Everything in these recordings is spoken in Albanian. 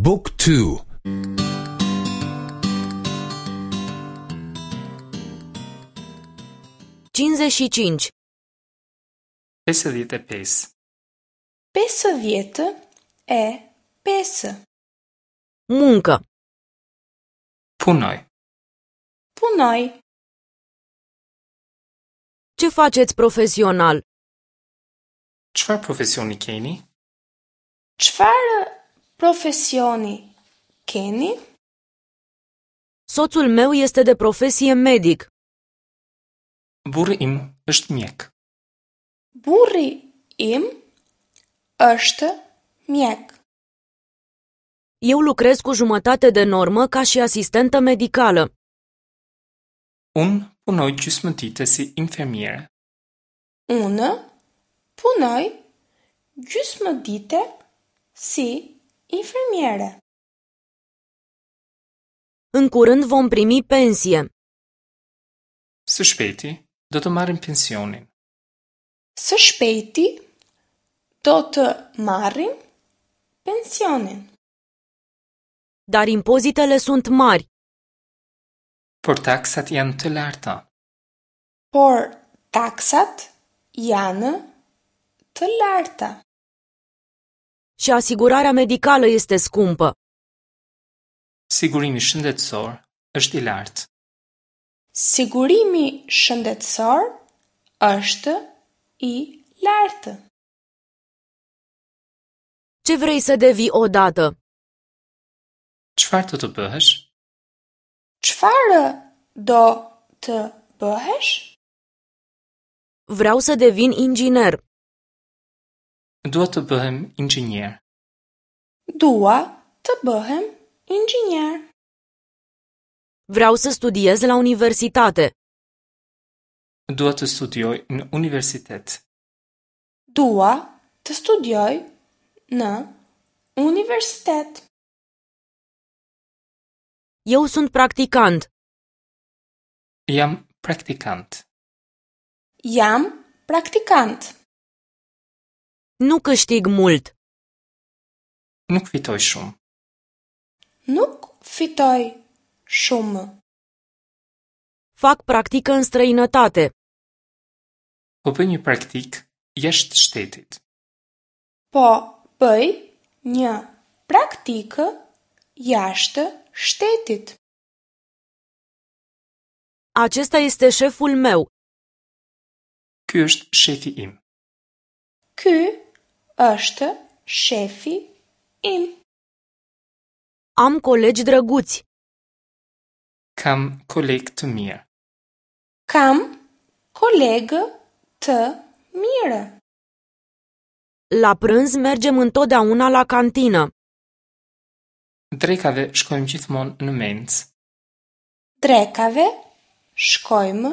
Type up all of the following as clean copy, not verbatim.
บุ๊กทู 55. 55. 55. Muncă. Punoj. Punoj. Ce faceți profesional? Çfarë profesioni keni? Çfarë profesioni keni? Soțul meu este de profesie medic. Burri im është mjek. Burri im është mjek. Eu lucrez cu jumătate de normă ca și asistentă medicală. Unë punoj gjysmë dite si infermiere. Unë punoj gjysmë dite si infermiere. În curând vom primi pensie. Së shpejti do të marrim pensionin. Së shpejti do të marrim pensionin. Dar impozitele sunt mari. Por taksat janë të larta. Por taksat janë të larta. Și asigurarea medicală este scumpă. Sigurimi shëndetësor është i lartë. Sigurimi shëndetësor është i lartë. Ce vrei să devii odată? Çfarë do të bëhesh? Çfarë do të bëhesh? Vreau să devin inginer. Dua të bëhem inxhinier. Dua të bëhem inxhinier. Vreau să studiez la universitate. Dua të studioj në universitet. Dua të studioj në universitet. Eu sunt practicant. Jam praktikant. Jam praktikant. Nu câștig mult. Nuk fitoj shumë. Nuk fitoj shumë. Fac practică în străinătate. Po bëj një praktikë jashtë shtetit. Po bëj një praktikë jashtë shtetit. Acesta este șeful meu. Ky është shefi im. Ky është shefi im. Am colegi drăguți. Kam kolegë të mirë. Kam kolegë të mirë. La prânz mergem întotdeauna la cantină. Drekave shkojmë gjithmonë në mencë. Drekave shkojmë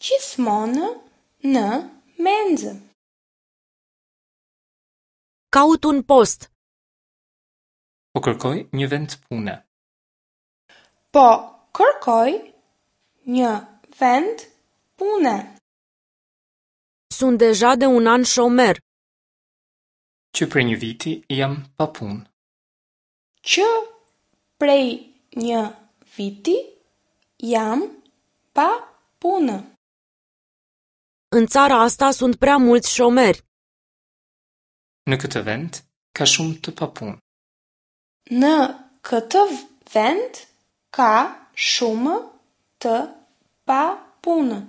gjithmonë në menzë. Caut un post. Po kërkoj një vend pune. Po kërkoj një vend pune. Sunt deja de un an șomer. Që prej një viti jam pa punë. Që prej një viti jam pa punë. În țara asta sunt prea mulți șomeri. Në këtë vend ka shumë të papunë. Në këtë vend ka shumë të papunë.